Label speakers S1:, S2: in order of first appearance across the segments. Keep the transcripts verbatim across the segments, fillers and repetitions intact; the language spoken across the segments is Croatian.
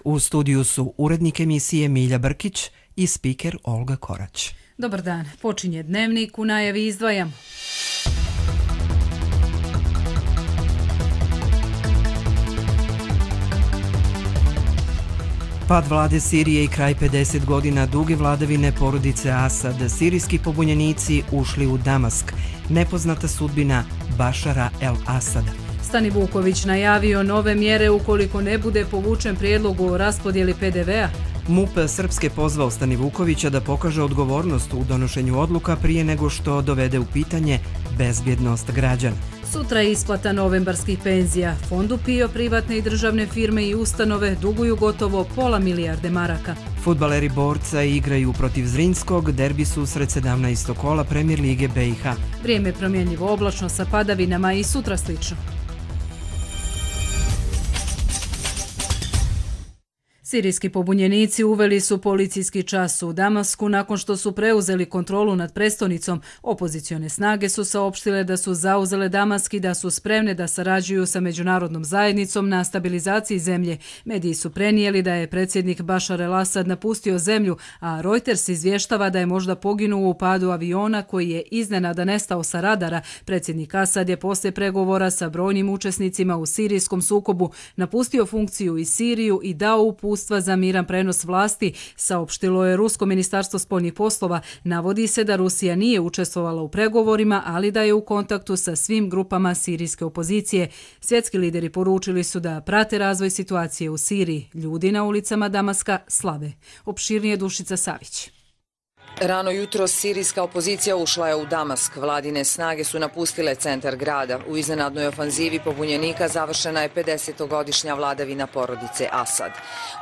S1: U studiju su urednik emisije Milja Brkić i spiker Olga Korać.
S2: Dobar dan, počinje Dnevnik, u najavi izdvajam.
S1: Pad vlade Sirije i kraj pedeset godina duge vladavine porodice Asad. Sirijski pobunjenici ušli u Damask. Nepoznata sudbina Bašara el-Asada.
S2: Stani Vuković najavio nove mjere ukoliko ne bude povučen prijedlog o raspodjeli pe de vea.
S1: MUP Srpske pozvao Stani Vukovića da pokaže odgovornost u donošenju odluka prije nego što dovede u pitanje bezbjednost građana.
S2: Sutra je isplata novembarskih penzija. Fondu PIO privatne i državne firme i ustanove duguju gotovo pola milijarde maraka.
S1: Fudbaleri Borca igraju protiv Zrinskog, derbi susret sedamnaestog kola Premier lige be i ha.
S2: Vrijeme je promjenjivo, oblačno sa padavinama i sutra slično. Sirijski pobunjenici uveli su policijski čas u Damasku nakon što su preuzeli kontrolu nad prestonicom. Opozicione snage su saopštile da su zauzele Damask i da su spremne da sarađuju sa međunarodnom zajednicom na stabilizaciji zemlje. Mediji su prenijeli da je predsjednik Bašar el-Asad napustio zemlju, a Reuters izvještava da je možda poginuo u padu aviona koji je iznenada nestao sa radara. Predsjednik Asad je poslije pregovora sa brojnim učesnicima u sirijskom sukobu napustio funkciju i Siriju i dao uputstvo za miran prenos vlasti, saopštilo je Rusko ministarstvo spoljnih poslova. Navodi se da Rusija nije učestvovala u pregovorima, ali da je u kontaktu sa svim grupama sirijske opozicije. Svjetski lideri poručili su da prate razvoj situacije u Siriji. Ljudi na ulicama Damaska slave. Opširnije Dušica Savić.
S3: Rano jutro sirijska opozicija ušla je u Damask. Vladine snage su napustile centar grada. U iznenadnoj ofanzivi pobunjenika završena je pedesetogodišnja vladavina porodice Asad.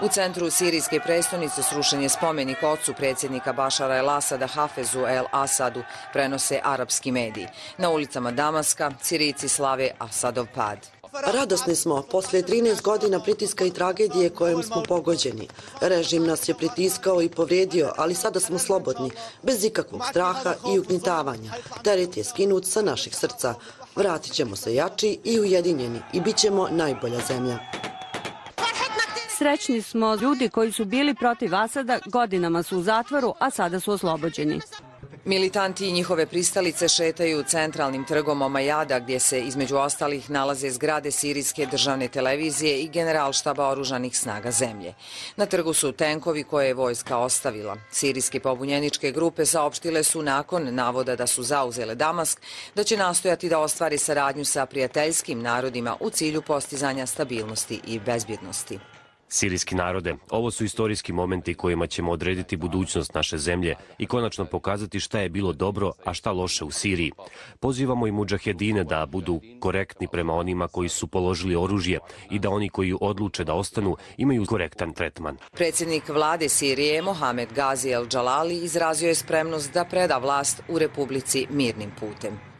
S3: U centru sirijske prestonice srušen je spomenik ocu predsjednika Bašara el-Asada Hafezu el-Asadu, prenose arapski mediji. Na ulicama Damaska Sirijci slave Asadov pad.
S4: Radosni smo, poslije trinaest godina pritiska i tragedije kojom smo pogođeni. Režim nas je pritiskao i povrijedio, ali sada smo slobodni, bez ikakvog straha i ugnjetavanja. Teret je skinut sa naših srca. Vratit ćemo se jači i ujedinjeni i bit ćemo najbolja zemlja.
S5: Srećni smo, ljudi koji su bili protiv Asada godinama su u zatvoru, a sada su oslobođeni.
S3: Militanti i njihove pristalice šetaju centralnim trgom Omajada, gdje se između ostalih nalaze zgrade sirijske državne televizije i generalštaba oružanih snaga zemlje. Na trgu su tenkovi koje je vojska ostavila. Sirijske pobunjeničke grupe saopštile su nakon navoda da su zauzele Damask da će nastojati da ostvari saradnju sa prijateljskim narodima u cilju postizanja stabilnosti i bezbjednosti.
S6: Sirijski narode, ovo su istorijski momenti kojima ćemo odrediti budućnost naše zemlje i konačno pokazati šta je bilo dobro, a šta loše u Siriji. Pozivamo i mudžahedine da budu korektni prema onima koji su položili oružje i da oni koji odluče da ostanu imaju korektan tretman.
S3: Predsjednik vlade Sirije Mohamed Gazi el-Džalali izrazio je spremnost da preda vlast u Republici mirnim putem.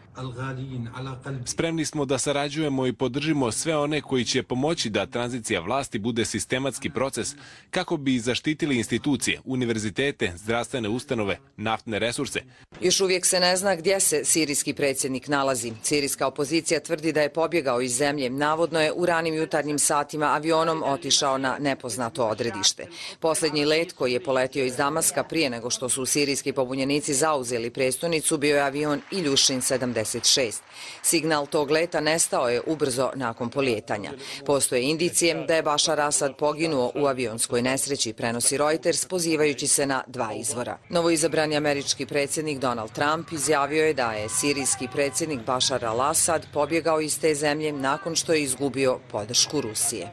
S7: Spremni smo da sarađujemo i podržimo sve one koji će pomoći da tranzicija vlasti bude sistematski proces kako bi zaštitili institucije, univerzitete, zdravstvene ustanove, naftne resurse.
S3: Još uvijek se ne zna gdje se sirijski predsjednik nalazi. Sirijska opozicija tvrdi da je pobjegao iz zemlje. Navodno je u ranim jutarnjim satima avionom otišao na nepoznato odredište. Posljednji let koji je poletio iz Damaska prije nego što su sirijski pobunjenici zauzeli prestonicu bio je avion Iljušin sedamdeset šest. Signal tog leta nestao je ubrzo nakon polijetanja. Postoje indicije da je Bašar Asad poginuo u avionskoj nesreći, prenosi Reuters, pozivajući se na dva izvora. Novoizabrani američki predsjednik Donald Trump izjavio je da je sirijski predsjednik Bašar al-Asad pobjegao iz te zemlje nakon što je izgubio podršku Rusije.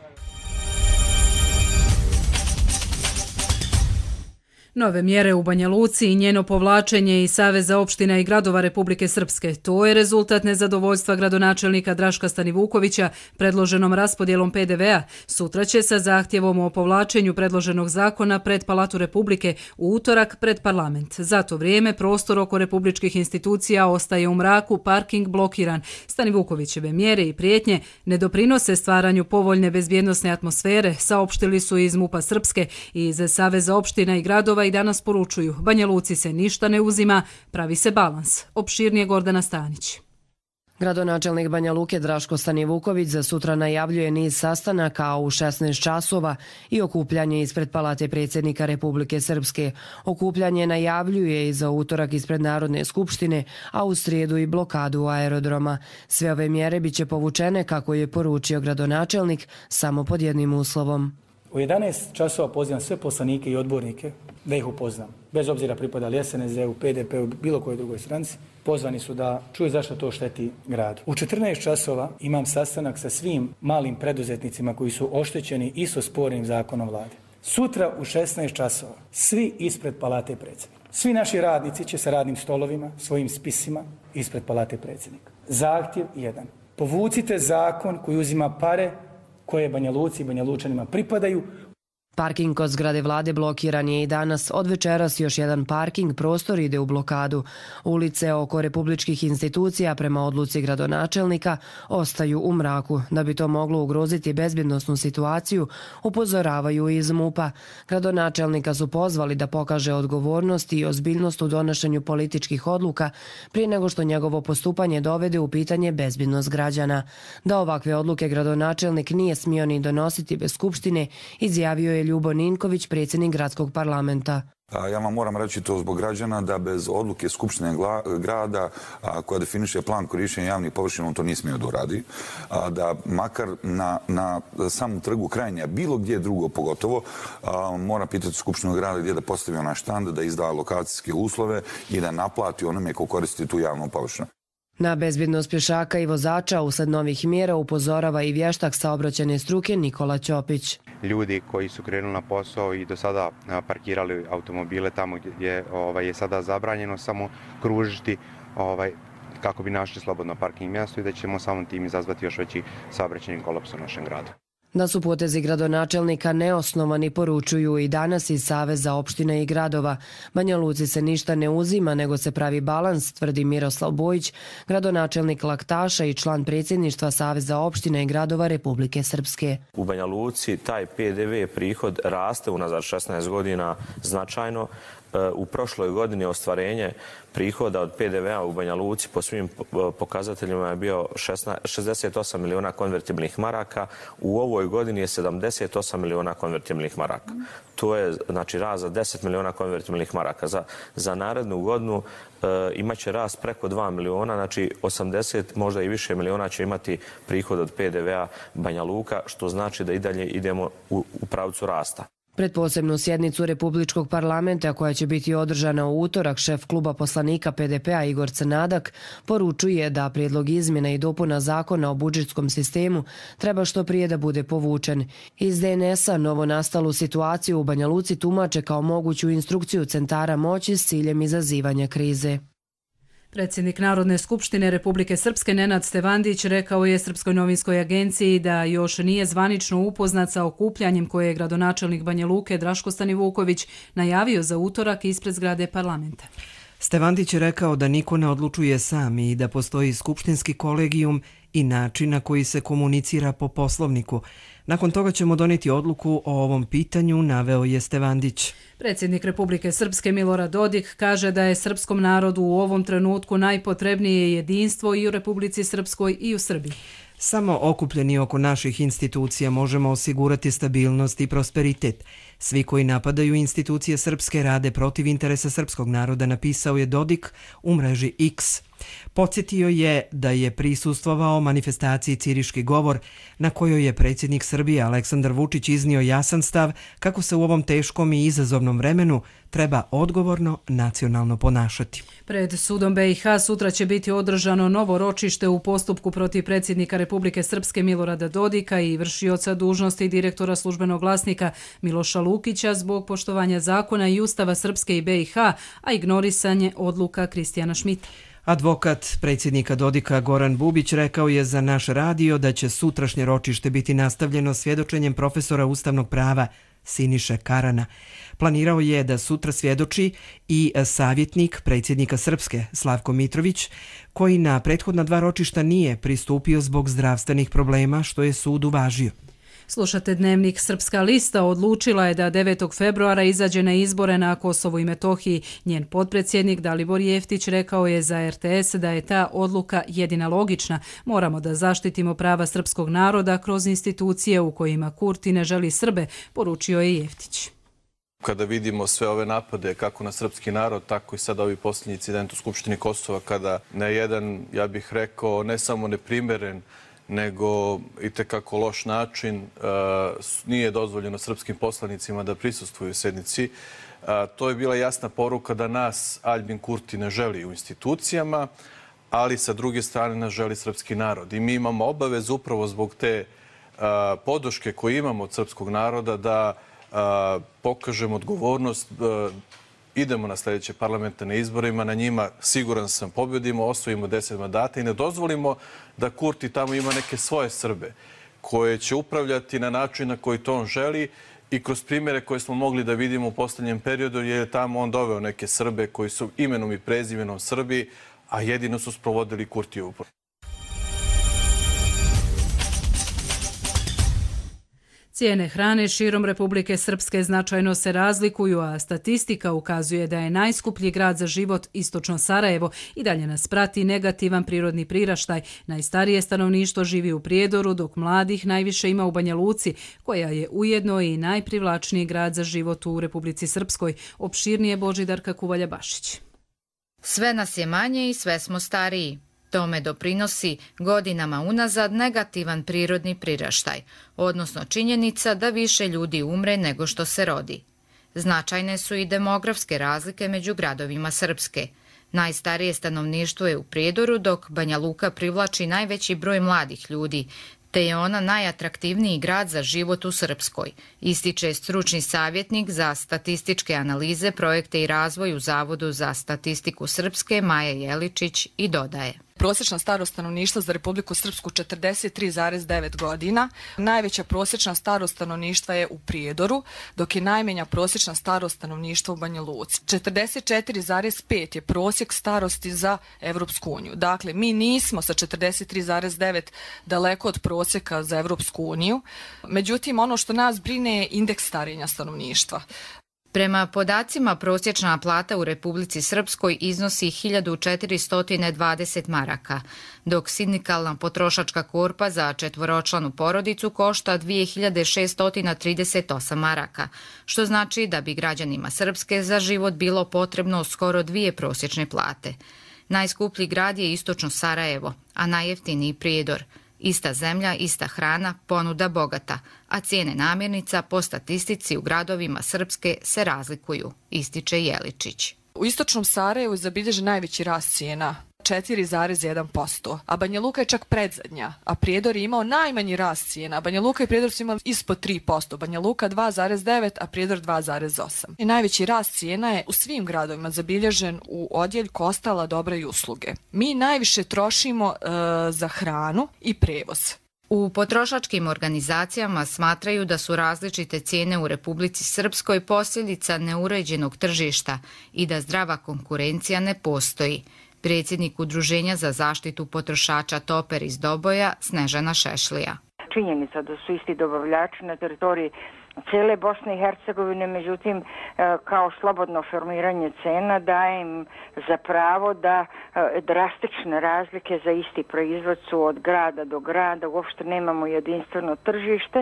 S2: Nove mjere u Banja Luci i njeno povlačenje iz Saveza opština i gradova Republike Srpske. To je rezultat nezadovoljstva gradonačelnika Draška Stanivukovića predloženom raspodjelom pe de vea. Sutra će sa zahtjevom o povlačenju predloženog zakona pred Palatu Republike, u utorak pred parlament. Za to vrijeme prostor oko republičkih institucija ostaje u mraku, parking blokiran. Stanivukovićeve mjere i prijetnje ne doprinose stvaranju povoljne bezbjednosne atmosfere, saopštili su iz MUP-a Srpske i iz Saveza opština i gradova i danas poručuju, Banja Luci se ništa ne uzima, pravi se balans. Opširnije Gordana Stanić.
S8: Gradonačelnik Banja Luke Draško Stanivuković za sutra najavljuje niz sastanaka, a u šesnaest časova i okupljanje ispred Palate predsjednika Republike Srpske. Okupljanje najavljuje i za utorak ispred Narodne skupštine, a u srijedu i blokadu aerodroma. Sve ove mjere biće povučene, kako je poručio gradonačelnik, samo pod jednim uslovom.
S9: U jedanaest časova pozivam sve poslanike i odbornike da ih upoznam. Bez obzira pripadali S N S D-u, P D P-u, bilo kojoj drugoj stranci, pozvani su da čuju zašto to šteti gradu. U četrnaest časova imam sastanak sa svim malim preduzetnicima koji su oštećeni isto spornim zakonom vlade. Sutra u šesnaest časova svi ispred Palate predsjednika. Svi naši radnici će sa radnim stolovima, svojim spisima ispred Palate predsjednika. Zahtjev jedan. Povucite zakon koji uzima pare koje Banja Luci i Banja Lučanima pripadaju.
S8: Parking kod zgrade vlade blokiran je i danas. Od večeras još jedan parking prostor ide u blokadu. Ulice oko republičkih institucija prema odluci gradonačelnika ostaju u mraku. Da bi to moglo ugroziti bezbjednosnu situaciju, upozoravaju iz MUP-a. Gradonačelnika su pozvali da pokaže odgovornost i ozbiljnost u donošenju političkih odluka prije nego što njegovo postupanje dovede u pitanje bezbjednost građana. Da ovakve odluke gradonačelnik nije smio ni donositi bez skupštine, izjavio je Ljubo Ninković, predsjednik gradskog parlamenta.
S10: Ja vam moram reći to zbog građana da bez odluke Skupštine grada koja definiše plan korištenja javnih površina on to nije smio da uradi. Da makar na, na samom trgu Krajnja, bilo gdje drugo pogotovo, mora pitati Skupštinu grada gdje da postavi onaj štand, da izda lokacijske uslove i da naplati onome ko koristi tu javnu površinu.
S8: Na bezbjednost pješaka i vozača usled novih mjera upozorava i vještak saobraćajne struke Nikola Ćopić.
S11: Ljudi koji su krenuli na posao i do sada parkirali automobile tamo gdje ovaj, je sada zabranjeno samo kružiti ovaj, kako bi našli slobodno parking mjesto i da ćemo samom tim izazvati još veći saobraćajni kolaps u našem gradu.
S8: Da su potezi gradonačelnika neosnovani, poručuju i danas iz Saveza opština i gradova. Banja Luci se ništa ne uzima, nego se pravi balans, tvrdi Miroslav Bojić, gradonačelnik Laktaša i član predsjedništva Saveza opština i gradova Republike Srpske.
S12: U Banja Luci taj P D V prihod raste unazad šesnaest godina značajno. U prošloj godini ostvarenje prihoda od P D V-a u Banja Luci po svim pokazateljima je bio šezdeset osam miliona konvertibilnih maraka. U ovoj godini je sedamdeset osam miliona konvertibilnih maraka. To je znači rast za deset miliona konvertibilnih maraka. Za, za narednu godinu e, imaće rast preko dva miliona, znači osamdeset možda i više miliona će imati prihod od P D V-a Banja Luka, što znači da i dalje idemo u, u pravcu rasta.
S8: Pred posebnu sjednicu Republičkog parlamenta koja će biti održana u utorak, šef kluba poslanika P D P-a Igor Crnadak poručuje da prijedlog izmjena i dopuna zakona o budžetskom sistemu treba što prije da bude povučen. Iz D N S-a novo nastalu situaciju u Banja Luci tumače kao moguću instrukciju centara moći s ciljem izazivanja krize.
S2: Predsjednik Narodne skupštine Republike Srpske Nenad Stevandić rekao je Srpskoj novinskoj agenciji da još nije zvanično upoznat sa okupljanjem koje je gradonačelnik Banja Luke Draško Stanivuković najavio za utorak ispred zgrade parlamenta.
S1: Stevandić je rekao da niko ne odlučuje sam i da postoji skupštinski kolegijum i način na koji se komunicira po poslovniku. Nakon toga ćemo doneti odluku o ovom pitanju, naveo je Stevandić.
S2: Predsjednik Republike Srpske Milorad Dodik kaže da je srpskom narodu u ovom trenutku najpotrebnije jedinstvo i u Republici Srpskoj i u Srbiji.
S1: Samo okupljeni oko naših institucija možemo osigurati stabilnost i prosperitet. Svi koji napadaju institucije srpske rade protiv interesa srpskog naroda, napisao je Dodik u mreži X. Podsjetio je da je prisustvovao manifestaciji Ciriški govor na kojoj je predsjednik Srbije Aleksandar Vučić iznio jasan stav kako se u ovom teškom i izazovnom vremenu treba odgovorno nacionalno ponašati.
S2: Pred sudom B i H sutra će biti održano novo ročište u postupku protiv predsjednika Republike Srpske Milorada Dodika i vršioca dužnosti direktora službenog glasnika Miloša Lukića zbog poštovanja zakona i ustava Srpske i B i H, a ignorisanje odluka Kristijana Šmita.
S1: Advokat predsjednika Dodika Goran Bubić rekao je za naš radio da će sutrašnje ročište biti nastavljeno svjedočenjem profesora ustavnog prava Siniše Karana. Planirao je da sutra svjedoči i savjetnik predsjednika Srpske Slavko Mitrović, koji na prethodna dva ročišta nije pristupio zbog zdravstvenih problema, što je sud uvažio.
S2: Slušate Dnevnik. Srpska lista odlučila je da devetog februara izađe na izbore na Kosovu i Metohiji. Njen potpredsjednik Dalibor Jeftić rekao je za R T S da je ta odluka jedina logična. Moramo da zaštitimo prava srpskog naroda kroz institucije u kojima Kurti ne želi Srbe, poručio je Jeftić.
S13: Kada vidimo sve ove napade kako na srpski narod, tako i sad ovi posljednji incident u Skupštini Kosova, kada na jedan, ja bih rekao, ne samo neprimeren, nego i tekako loš način nije dozvoljeno srpskim poslanicima da prisustvuju sednici. To je bila jasna poruka da nas Aljbin Kurti ne želi u institucijama, ali sa druge strane ne želi srpski narod. I mi imamo obavezu upravo zbog te podrške koju imamo od srpskog naroda da pokažemo odgovornost, idemo na sljedeće parlamentarne izborima, na njima siguran sam pobjedimo, osvojimo deset mandata i ne dozvolimo da Kurti tamo ima neke svoje Srbe koje će upravljati na način na koji to on želi i kroz primjere koje smo mogli da vidimo u posljednjem periodu, jer je tamo on doveo neke Srbe koji su imenom i prezimenom Srbi, a jedino su sprovodili Kurtijevu politiku.
S2: Cijene hrane širom Republike Srpske značajno se razlikuju, a statistika ukazuje da je najskuplji grad za život istočno Sarajevo i dalje nas prati negativan prirodni priraštaj. Najstarije stanovništvo živi u Prijedoru, dok mladih najviše ima u Banja Luci, koja je ujedno i najprivlačniji grad za život u Republici Srpskoj. Opširnije Božidarka Kuvalja-Bašić.
S14: Sve nas je manje i sve smo stariji. Tome doprinosi godinama unazad negativan prirodni priraštaj, odnosno činjenica da više ljudi umre nego što se rodi. Značajne su i demografske razlike među gradovima Srpske. Najstarije stanovništvo je u Prijedoru, dok Banja Luka privlači najveći broj mladih ljudi, te je ona najatraktivniji grad za život u Srpskoj, ističe stručni savjetnik za statističke analize, projekte i razvoj u Zavodu za statistiku Srpske Maja Jeličić i dodaje.
S15: Prosječna starost stanovništva za Republiku Srpsku četrdeset tri zarez devet godina. Najveća prosječna starost stanovništva je u Prijedoru, dok je najmanja prosječna starost stanovništva u Banja Luci. četrdeset četiri zarez pet je prosjek starosti za Evropsku uniju. Dakle, mi nismo sa četrdeset tri zarez devet daleko od prosjeka za Evropsku uniju. Međutim, ono što nas brine je indeks starenja stanovništva.
S14: Prema podacima, prosječna plata u Republici Srpskoj iznosi hiljadu četiristo dvadeset maraka, dok sindikalna potrošačka korpa za četvoročlanu porodicu košta dvije hiljade šessto trideset osam maraka, što znači da bi građanima Srpske za život bilo potrebno skoro dvije prosječne plate. Najskuplji grad je istočno Sarajevo, a najjeftiniji Prijedor. Ista zemlja, ista hrana, ponuda bogata, a cijene namirnica po statistici u gradovima Srpske se razlikuju, ističe Jeličić.
S15: U istočnom Sarajevu je zabilježen najveći rast cijena, četiri zarez jedan posto, a Banja Luka je čak predzadnja, a Prijedor je imao najmanji rast cijena. Banja Luka i Prijedor su imali ispod tri posto, Banja Luka dva zarez devet, a Prijedor dva zarez osam. I najveći rast cijena je u svim gradovima zabilježen u odjeljku ostala dobra i usluge. Mi najviše trošimo e, za hranu i prevoz.
S14: U potrošačkim organizacijama smatraju da su različite cijene u Republici Srpskoj posljedica neuređenog tržišta i da zdrava konkurencija ne postoji. Predsjednik Udruženja za zaštitu potrošača Toper iz Doboja, Snežana Šešlija.
S16: Činjenica da su isti dobavljači na teritoriji cijele Bosne i Hercegovine, međutim kao slobodno formiranje cena daje im za pravo da drastične razlike za isti proizvod su od grada do grada, uopšte nemamo jedinstveno tržište.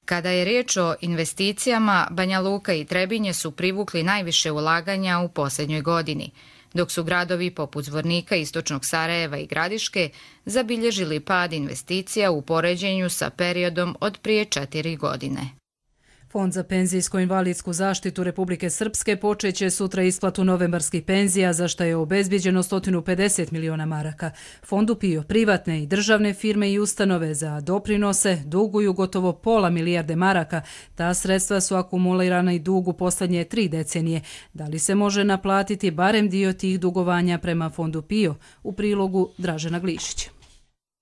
S14: Kada je riječ o investicijama, Banja Luka i Trebinje su privukli najviše ulaganja u posljednjoj godini, dok su gradovi poput Zvornika, istočnog Sarajeva i Gradiške zabilježili pad investicija u poređenju sa periodom od prije četiri godine.
S2: Fond za penzijsko-invalidsku zaštitu Republike Srpske počeće sutra isplatu novembarskih penzija, za što je obezbijeđeno sto pedeset miliona maraka. Fondu PIO privatne i državne firme i ustanove za doprinose duguju gotovo pola milijarde maraka. Ta sredstva su akumulirana i dugu posljednje tri decenije. Da li se može naplatiti barem dio tih dugovanja prema Fondu PIO? U prilogu Dražena Glišića.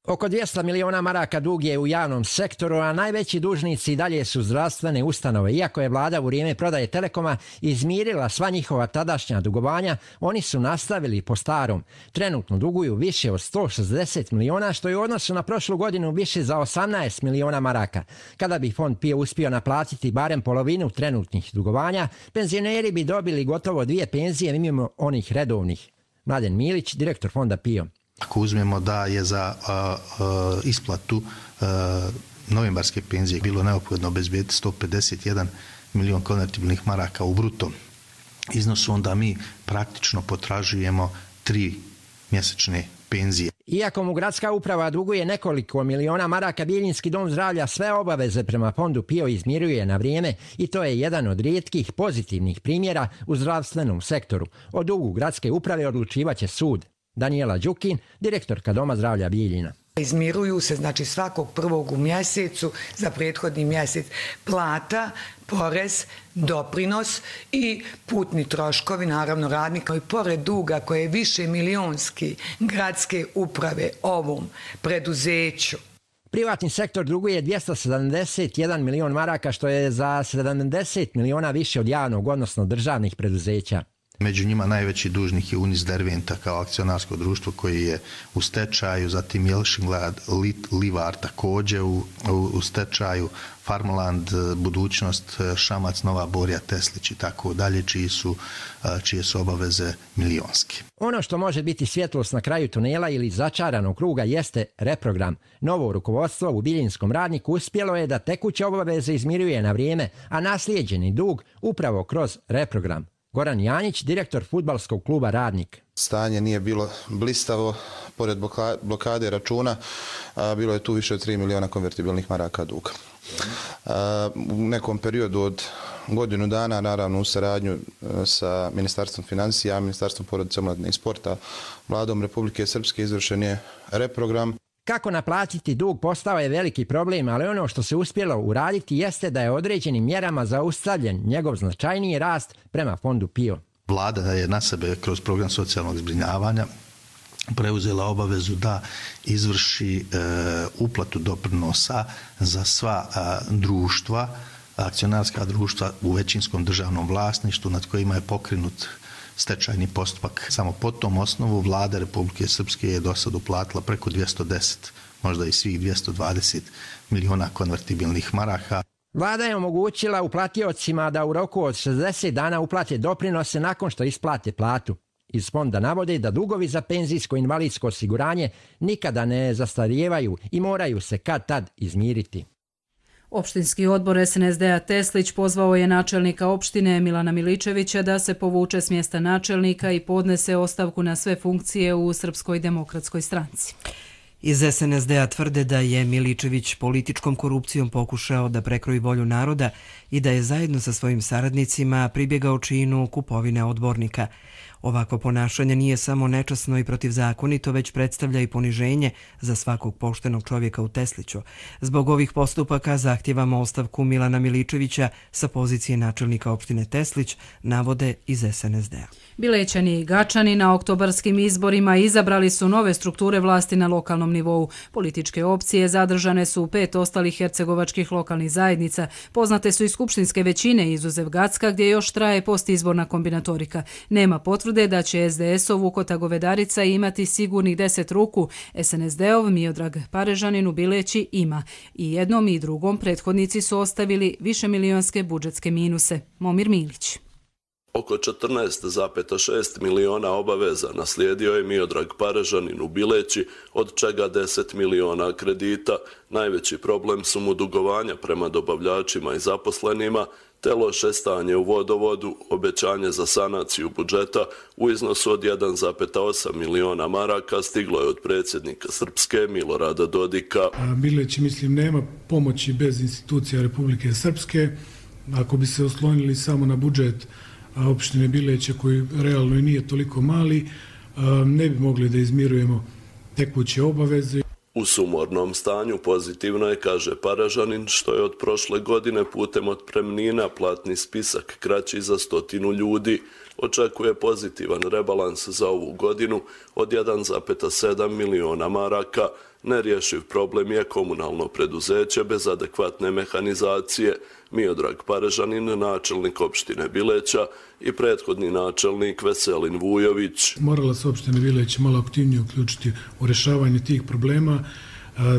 S17: Oko dvjesto miliona maraka dug je u javnom sektoru, a najveći dužnici i dalje su zdravstvene ustanove. Iako je vlada u vrijeme prodaje Telekoma izmirila sva njihova tadašnja dugovanja, oni su nastavili po starom. Trenutno duguju više od sto šezdeset miliona, što je u odnosu na prošlu godinu više za osamnaest miliona maraka. Kada bi fond PIO uspio naplatiti barem polovinu trenutnih dugovanja, penzioneri bi dobili gotovo dvije penzije mimo onih redovnih. Mladen Milić, direktor fonda PIO.
S18: Ako uzmemo da je za a, a, isplatu a, novembarske penzije bilo neophodno obezbediti sto pedeset jedan milion konvertibilnih maraka u bruto iznosu, onda mi praktično potražujemo tri mjesečne penzije.
S17: Iako mu gradska uprava duguje nekoliko miliona maraka, Bijeljinski dom zdravlja sve obaveze prema fondu PIO izmiruje na vrijeme i to je jedan od rijetkih pozitivnih primjera u zdravstvenom sektoru. O dugu gradske uprave odlučivaće sud. Daniela Đukin, direktorka Doma zdravlja Bijeljina.
S19: Izmiruju se znači svakog prvog u mjesecu za prethodni mjesec plata, porez, doprinos i putni troškovi, naravno radnika. I pored duga koje je više milionski gradske uprave ovom preduzeću.
S17: Privatni sektor duguje dvjesto sedamdeset jedan milion maraka, što je za sedamdeset miliona više od javnog, odnosno državnih preduzeća.
S18: Među njima najveći dužnik je Unis Derventa kao akcionarsko društvo koji je u stečaju, zatim Jelšinglad, Livar također u, u, u stečaju, Farmland, Budućnost, Šamac, Nova Borja, Teslić i tako dalje, čiji su, čije su obaveze milionske.
S17: Ono što može biti svjetlost na kraju tunela ili začaranog kruga jeste reprogram. Novo rukovodstvo u Biljinskom Radniku uspjelo je da tekuće obaveze izmiruje na vrijeme, a naslijeđeni dug upravo kroz reprogram. Goran Janjić, direktor fudbalskog kluba Radnik.
S20: Stanje nije bilo blistavo, pored blokade računa, a bilo je tu više od tri miliona konvertibilnih maraka duga. A, u nekom periodu od godinu dana, naravno u saradnju sa Ministarstvom financija, Ministarstvom porodice, omladine i sporta, Vladom Republike Srpske izvršen je reprogram.
S17: Kako naplatiti dug postao je veliki problem, ali ono što se uspjelo uraditi jeste da je određenim mjerama zaustavljen njegov značajniji rast prema fondu PIO.
S18: Vlada je na sebe kroz program socijalnog zbrinjavanja preuzela obavezu da izvrši e, uplatu doprinosa za sva a, društva, akcionarska društva u većinskom državnom vlasništvu nad kojima je pokrenut stečajni postupak. Samo po tom osnovu Vlada Republike Srpske je do sad uplatila preko dvjesto deset, možda i svih dvjesto dvadeset miliona konvertibilnih maraka.
S17: Vlada je omogućila uplatiocima da u roku od šezdeset dana uplate doprinose nakon što isplate platu. Iz fonda navode da dugovi za penzijsko invalidsko osiguranje nikada ne zastarijevaju i moraju se kad tad izmiriti.
S2: Opštinski odbor es en es de a Teslić pozvao je načelnika opštine Milana Miličevića da se povuče s mjesta načelnika i podnese ostavku na sve funkcije u Srpskoj demokratskoj stranci.
S1: Iz es en es de a tvrde da je Miličević političkom korupcijom pokušao da prekroji volju naroda i da je zajedno sa svojim saradnicima pribjegao činu kupovine odbornika. Ovako ponašanje nije samo nečasno i protivzakonito, već predstavlja i poniženje za svakog poštenog čovjeka u Tesliću. Zbog ovih postupaka zahtijevamo ostavku Milana Miličevića sa pozicije načelnika opštine Teslić, navode iz es en es de a.
S2: Bilećani i Gačani na oktobarskim izborima izabrali su nove strukture vlasti na lokalnom nivou. Političke opcije zadržane su u pet ostalih hercegovačkih lokalnih zajednica. Poznate su i skupštinske većine, izuzev Gacka, gdje još traje postizborna kombinatorika. Nema potvrde da će es de es-ov Vukota Govedarica imati sigurnih deset ruku. es en es de ov Miodrag Parežanin u Bileći ima. I jednom i drugom prethodnici su ostavili višemilionske budžetske minuse. Momir Milić.
S21: Oko četrnaest zarez šest miliona obaveza naslijedio je Miodrag Parežanin u Bileći, od čega deset miliona kredita. Najveći problem su mu dugovanja prema dobavljačima i zaposlenima, te loše stanje u vodovodu, obećanje za sanaciju budžeta u iznosu od jedan zarez osam miliona maraka stiglo je od predsjednika Srpske Milorada Dodika.
S22: Bileći, mislim, nema pomoći bez institucija Republike Srpske. Ako bi se oslonili samo na budžet opštine Bileće, koji realno i nije toliko mali, ne bi mogli da izmirujemo tekuće obaveze.
S21: U sumornom stanju pozitivno je, kaže Parežanin, što je od prošle godine putem otpremnina platni spisak kraći za stotinu ljudi, očekuje pozitivan rebalans za ovu godinu od jedan zarez sedam miliona maraka. Nerješiv problem je komunalno preduzeće bez adekvatne mehanizacije. Miodrag Parežanin, načelnik opštine Bileća, i prethodni načelnik Veselin Vujović.
S22: Morala se opština Bileć malo aktivnije uključiti u rješavanje tih problema.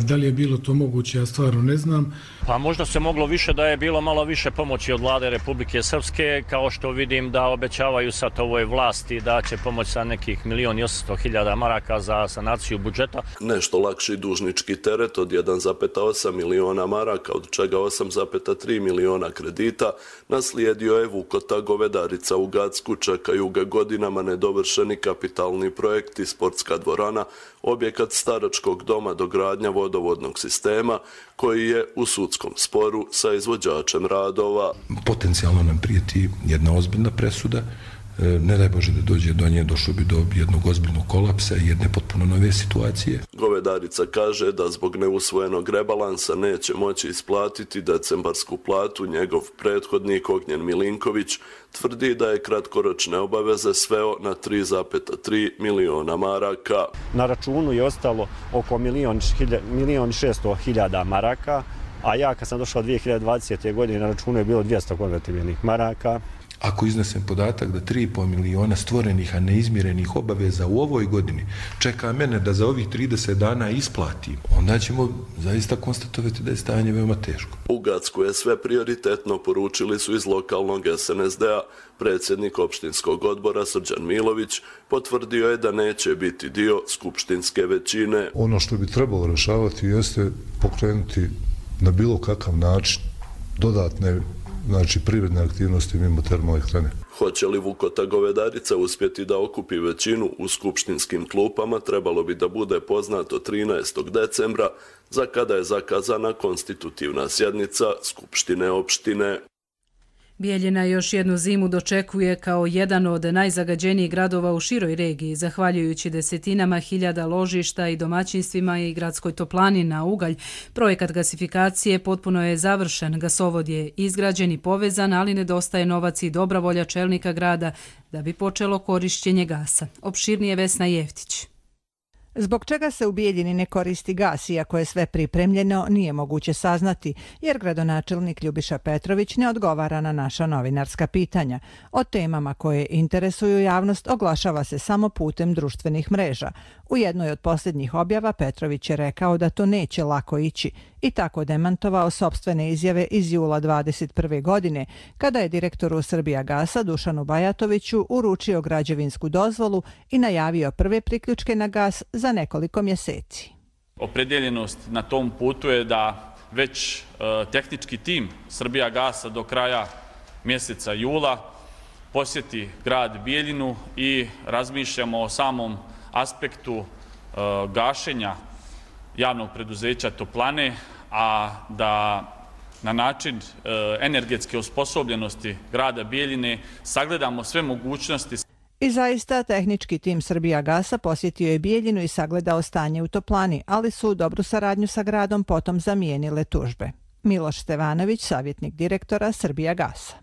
S22: Da li je bilo to moguće, ja stvarno ne znam.
S4: Pa možda se moglo više da je bilo malo više pomoći od vlade Republike Srpske, kao što vidim da obećavaju sad ovoj vlasti da će pomoći sa nekih milion i osamsto hiljada maraka za sanaciju budžeta.
S21: Nešto lakši dužnički teret od jedan zarez osam miliona maraka, od čega osam zarez tri miliona kredita, naslijedio je Vukota Govedarica u Gacku. Čekaju ga godinama nedovršeni kapitalni projekti, sportska dvorana, objekat staračkog doma, dogradnja vodovodnog sistema, koji je u sudskom sporu sa izvođačem radova.
S5: Potencijalno nam prijeti jedna ozbiljna presuda. Ne daj Bože da dođe do nje, došlo bi do jednog ozbiljnog kolapsa i jedne potpuno nove situacije.
S21: Govedarica kaže da zbog neusvojenog rebalansa neće moći isplatiti decembarsku platu. Njegov prethodnik Ognjen Milinković tvrdi da je kratkoročne obaveze sveo na tri zarez tri miliona maraka.
S4: Na računu je ostalo oko milion i šesto hiljada maraka, a ja kad sam došao dvije hiljade dvadesete. godine na računu je bilo dvjesto konvertibilnih maraka.
S5: Ako iznesem podatak da tri i pol miliona stvorenih, a neizmirenih obaveza u ovoj godini čeka mene da za ovih trideset dana isplatim, onda ćemo zaista konstatovati da je stanje veoma teško.
S21: U Gacku je sve prioritetno, poručili su iz lokalnog es en es de a. Predsjednik opštinskog odbora Srđan Milović potvrdio je da neće biti dio skupštinske većine.
S23: Ono što bi trebalo rešavati jeste pokrenuti na bilo kakav način dodatne, znači privredne aktivnosti mimo termoelektrane.
S21: Hoće li Vukota Govedarica uspjeti da okupi većinu u skupštinskim klupama, trebalo bi da bude poznato trinaestog decembra, za kada je zakazana konstitutivna sjednica Skupštine opštine.
S2: Bijeljina još jednu zimu dočekuje kao jedan od najzagađenijih gradova u široj regiji, zahvaljujući desetinama hiljada ložišta i domaćinstvima i gradskoj toplani na ugalj. Projekat gasifikacije potpuno je završen, gasovod je izgrađen i povezan, ali nedostaje novac i dobra volja čelnika grada da bi počelo korišćenje gasa. Opširnije Vesna Jeftić.
S24: Zbog čega se u Bijeljini ne koristi gas, iako je sve pripremljeno, nije moguće saznati, jer gradonačelnik Ljubiša Petrović ne odgovara na naša novinarska pitanja. O temama koje interesuju javnost oglašava se samo putem društvenih mreža. U jednoj od posljednjih objava Petrović je rekao da to neće lako ići i tako demantovao sopstvene izjave iz jula dvadeset prve. godine, kada je direktoru Srbijagasa Dušanu Bajatoviću uručio građevinsku dozvolu i najavio prve priključke na gas za nekoliko mjeseci.
S25: Opredjeljenost na tom putu je da već e, tehnički tim Srbijagasa do kraja mjeseca jula posjeti grad Bijeljinu i razmišljamo o samom aspektu e, gašenja javnog preduzeća Toplane, a da na način e, energetske osposobljenosti grada Bijeljine sagledamo sve mogućnosti.
S24: I zaista, tehnički tim Srbijagasa posjetio je Bijeljinu i sagledao stanje u Toplani, ali su dobru saradnju sa gradom potom zamijenile tužbe. Miloš Stevanović, savjetnik direktora Srbijagasa.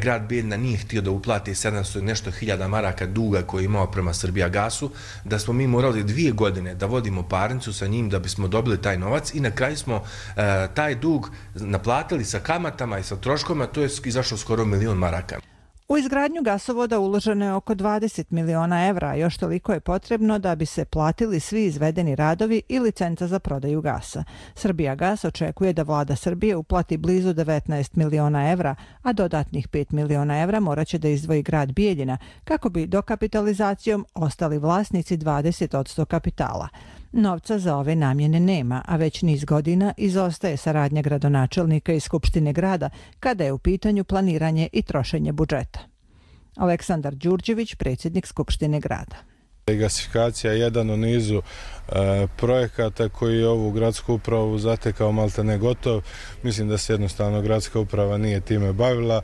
S26: Grad Bijeljina nije htio da uplati sedamsto nešto hiljada maraka duga koji je imao prema Srbijagasu, da smo mi morali dvije godine da vodimo parnicu sa njim da bismo dobili taj novac i na kraju smo e, taj dug naplatili sa kamatama i sa troškovima, to je izašlo skoro milion maraka.
S24: U izgradnju gasovoda uloženo je oko dvadeset miliona evra, a još toliko je potrebno da bi se platili svi izvedeni radovi i licenca za prodaju gasa. Srbijagas očekuje da vlada Srbije uplati blizu devetnaest miliona evra, a dodatnih pet miliona evra morat će da izdvoji grad Bijeljina, kako bi dokapitalizacijom ostali vlasnici dvadeset posto kapitala. Novca za ove namjene nema, a već niz godina izostaje saradnja gradonačelnika i Skupštine grada kada je u pitanju planiranje i trošenje budžeta. Aleksandar Đurđević, predsjednik Skupštine grada.
S27: Gasifikacija je jedan u nizu e, projekata koji je ovu gradsku upravu zatekao malte ne gotov. Mislim da se jednostavno gradska uprava nije time bavila,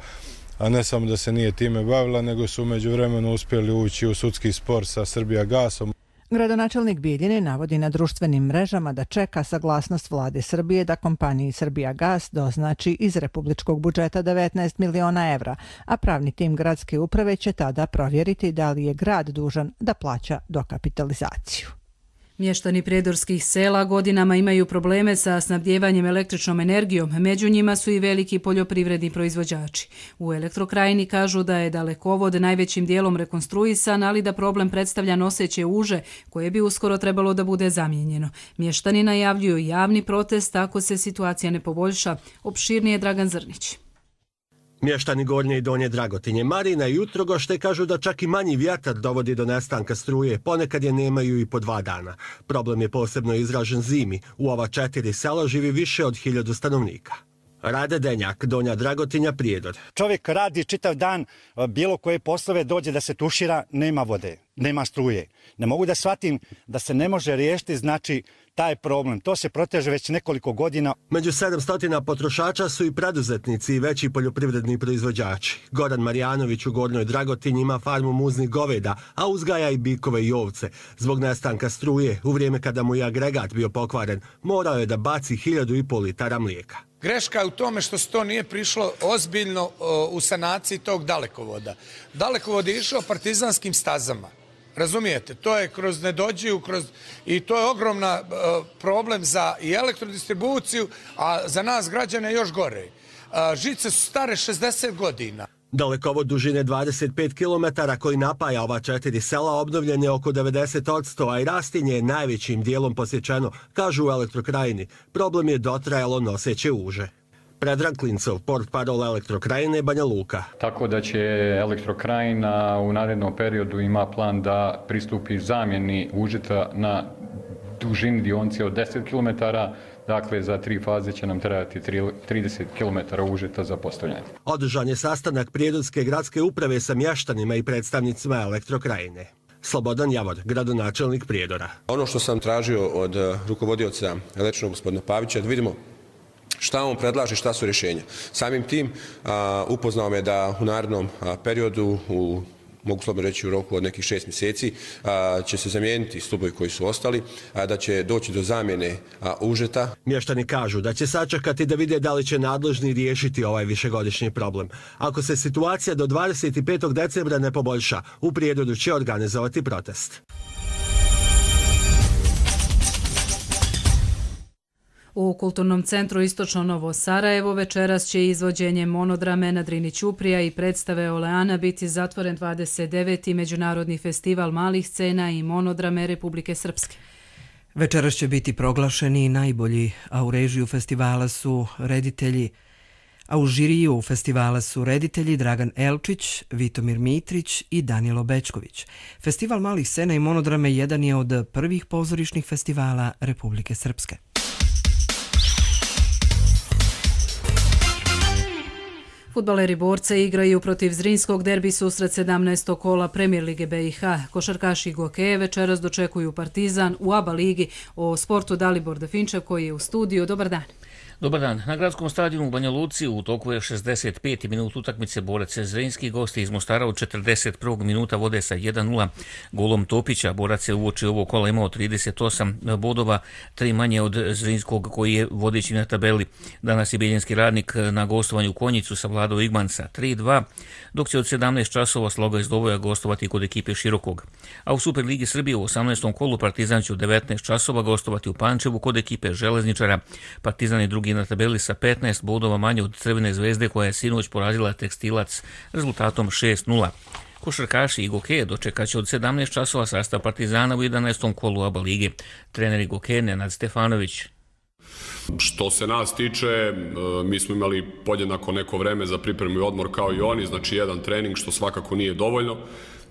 S27: a ne samo da se nije time bavila, nego su umeđu vremenu uspjeli ući u sudski spor sa Srbijagasom.
S24: Gradonačelnik Bijeljine navodi na društvenim mrežama da čeka saglasnost vlade Srbije da kompaniji Srbijagas doznači iz republičkog budžeta devetnaest miliona evra, a pravni tim gradske uprave će tada provjeriti da li je grad dužan da plaća dokapitalizaciju.
S2: Mještani prijedorskih sela godinama imaju probleme sa snabdjevanjem električnom energijom, među njima su i veliki poljoprivredni proizvođači. U Elektrokrajini kažu da je dalekovod najvećim dijelom rekonstruisan, ali da problem predstavlja noseće uže koje bi uskoro trebalo da bude zamijenjeno. Mještani najavljuju javni protest ako se situacija ne poboljša. Opširnije Dragan Zrnić.
S3: Mještani Gornje i Donje Dragotinje, Marina i Utrogošte kažu da čak i manji vjetar dovodi do nestanka struje, ponekad je nemaju i po dva dana. Problem je posebno izražen zimi. U ova četiri sela živi više od hiljadu stanovnika. Rade Denjak, Donja Dragotinja, Prijedor.
S6: Čovjek radi čitav dan, bilo koje poslove, dođe da se tušira, nema vode, nema struje. Ne mogu da shvatim da se ne može riješiti, znači, taj problem. To se proteže već nekoliko godina.
S3: Među sedamsto potrošača su i preduzetnici i veći poljoprivredni proizvođači. Goran Marjanović u Gornjoj Dragotinji ima farmu muznih goveda, a uzgaja i bikove i ovce. Zbog nestanka struje, u vrijeme kada mu je agregat bio pokvaren, morao je da baci hiljadu i pol litara mlijeka.
S7: Greška je u tome što se to nije prišlo ozbiljno u sanaciji tog dalekovoda. Dalekovod je išao partizanskim stazama. Razumijete, to je kroz Nedođiju, kroz, i to je ogromna uh, problem za i elektrodistribuciju, a za nas građane još gore. Uh, žice su stare šezdeset godina.
S3: Dalekovod dužine dvadeset pet kilometara koji napaja ova četiri sela obnovljen je oko devedeset posto, a i rastinje je najvećim dijelom posjećeno, kažu u Elektrokrajini. Problem je dotrajalo noseće uže. Predrag Klincov, portparol Elektrokrajine, Banja Luka.
S9: Tako da će Elektrokrajina u narednom periodu ima plan da pristupi zamjeni užeta na dužini dionice od deset kilometara. Dakle, za tri faze će nam trebati trideset kilometara užeta za postavljanje.
S3: Održan je sastanak Prijedorske gradske uprave sa mještanima i predstavnicima Elektrokrajine. Slobodan Javor, gradonačelnik Prijedora.
S10: Ono što sam tražio od rukovodioca električnog gospodina Pavića, da vidimo šta on predlaže, šta su rješenja. Samim tim a, upoznao me da u narednom a, periodu, u, mogu slobodno reći u roku od nekih šest mjeseci, a, će se zamijeniti stubovi koji su ostali, a, da će doći do zamjene a, užeta.
S3: Mještani kažu da će sačekati da vide da li će nadležni riješiti ovaj višegodišnji problem. Ako se situacija do dvadeset petog decembra ne poboljša, u Prijedoru će organizovati protest.
S2: U Kulturnom centru Istočno Novo Sarajevo večeras će izvođenje monodrame na Drini Ćuprija i predstave Oleana biti zatvoren dvadeset deveti Međunarodni festival malih scena i monodrame Republike Srpske.
S1: Večeras će biti proglašeni najbolji, a u režiju festivala su reditelji A u žiriju festivala su reditelji Dragan Elčić, Vitomir Mitrić i Danilo Bečković. Festival malih scena i monodrame jedan je od prvih pozorišnih festivala Republike Srpske.
S2: Fudbaleri Borce igraju protiv Zrinskog, derbi susret sedamnaestog kola Premier lige B i H. Košarkaši Gokeje večeras dočekuju Partizan u A B A ligi. O sportu Dalibor Definčev koji je u studiju. Dobar dan.
S11: Dobar dan. Na gradskom stadionu u Banja Luci u toku je šezdeset peti minut utakmice Borac Zrinski. Gosti iz Mostara od četrdeset prvog minuta vode sa jedan nula golom Topića. Borac je uoči ovog kola imao trideset osam bodova, tri manje od Zrinskog koji je vodeći na tabeli. Danas je Bijeljinski Radnik na gostovanju u Konjicu savladao Igmansa tri dva, dok će od sedamnaest časova Sloga iz Doboja gostovati kod ekipe Širokog. A u Superligi Srbije u osamnaestom kolu Partizan će od devetnaest časova gostovati u Pančevu kod ekipe Železničara. Partizan je drugi na tabeli sa petnaest bodova manje od Crvene zvezde koja je sinoć porazila Tekstilac rezultatom šest nula. Košarkaši i Gokeje dočekat će od sedamnaest časova sastav Partizana u jedanaestom kolu A B A lige. Trener Gokeje Nenad Stefanović.
S12: Što se nas tiče, mi smo imali podjednako neko vreme za pripremu i odmor kao i oni, znači jedan trening što svakako nije dovoljno.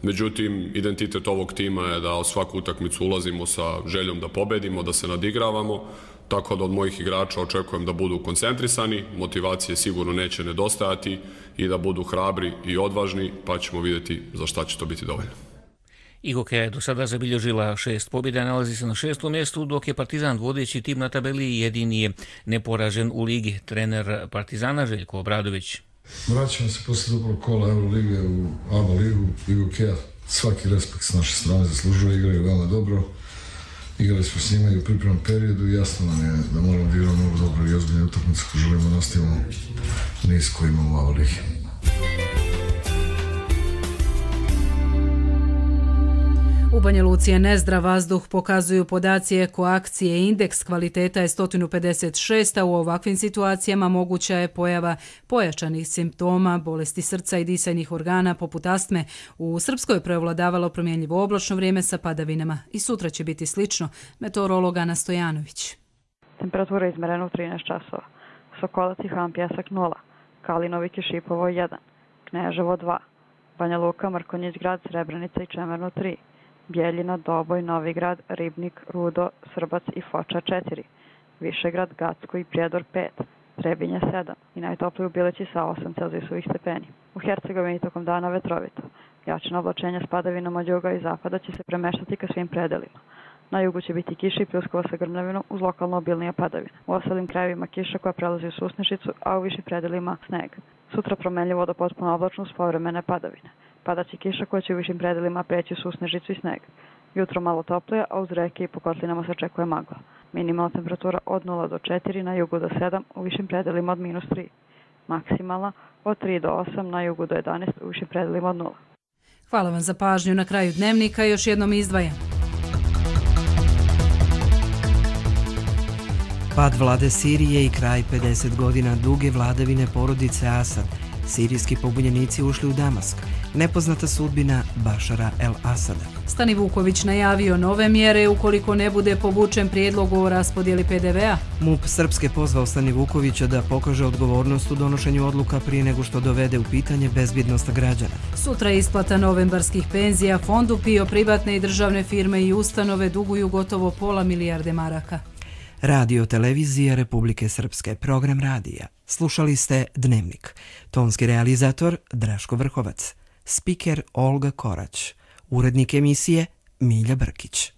S12: Međutim, identitet ovog tima je da u svaku utakmicu ulazimo sa željom da pobedimo, da se nadigravamo, tako da od mojih igrača očekujem da budu koncentrisani, motivacije sigurno neće nedostajati i da budu hrabri i odvažni, pa ćemo vidjeti za šta će to biti dovoljno.
S11: Igokeja je do sada zabilježila šest pobjeda, nalazi se na šestom mjestu, dok je Partizan vodeći tim na tabeli i jedini je neporažen u ligi. Trener Partizana Željko Obradović.
S23: Vraćamo se posle dobrog kola Eurolige u A B A ligu. Igokeja svaki respekt s naše strane zaslužuje, igraju veoma dobro. Igrali smo s njima i u pripremnom periodu i jasno nam je da moramo da igramo mnogo dobro i ozbiljne utakmice ako želimo nastavimo niz koji imamo u ovoj ligi.
S2: U Banja Luci je nezdrav vazduh, pokazuju podaci ekoakcije. Indeks kvaliteta je sto pedeset šest, a u ovakvim situacijama moguća je pojava pojačanih simptoma, bolesti srca i disajnih organa poput astme. U Srpskoj je prevladavalo promjenjivo oblačno vrijeme sa padavinama i sutra će biti slično. Meteorolog Ana Stojanović.
S8: Temperatura je izmerena u trinaest časova. Sokolac i Han Pjesak nula, Kalinovik i Šipovo jedan, Kneževo dva, Banja Luka, Mrkonjić grad, Srebrenica i Čemerno tri, Bjeljina, Doboj, Novigrad, Ribnik, Rudo, Srbac i Foča četiri, Višegrad, Gacko i Prijedor pet, Trebinje sedam i najtopliji u Bileći sa osam celzijusovih stepeni. U Hercegovini tokom dana vetrovito. Jačina oblačenja s padavinama od juga i zapada će se premeštati ka svim predelima. Na jugu će biti kiša i pljuskova sa grmljavinom uz lokalno obilnija padavina. U ostalim krajevima kiša koja prelazi u susnešicu, a u višim predelima sneg. Sutra promenljivo do potpuno oblačno uz povremene padavine. Padaće kiša koja će u višim predelima preći u susnežicu i sneg. Jutro malo toplije, a uz reke i po kotlinama se očekuje magla. Minimalna temperatura od nula do četiri, na jugu do sedam, u višim predelima od minus tri. Maksimalna od tri do osam, na jugu do jedanaest, u višim predelima od nula.
S2: Hvala vam za pažnju. Na kraju dnevnika još jednom izdvaja.
S1: Pad vlade Sirije i kraj pedeset godina duge vladavine porodice Asad. Sirijski pobunjenici ušli u Damask. Nepoznata sudbina Bašara el-Asada.
S2: Stani Vuković najavio nove mjere ukoliko ne bude povučen prijedlog o raspodjeli P D V-a.
S1: MUP Srpske pozvao Stani Vukovića da pokaže odgovornost u donošenju odluka prije nego što dovede u pitanje bezbjednost građana.
S2: Sutra je isplata novembarskih penzija. Fondu PIO privatne i državne firme i ustanove duguju gotovo pola milijarde maraka.
S1: Radio Televizija Republike Srpske, program radija. Slušali ste Dnevnik. Tonski realizator Draško Vrhovac. Spiker Olga Korać. Urednik emisije Milja Brkić.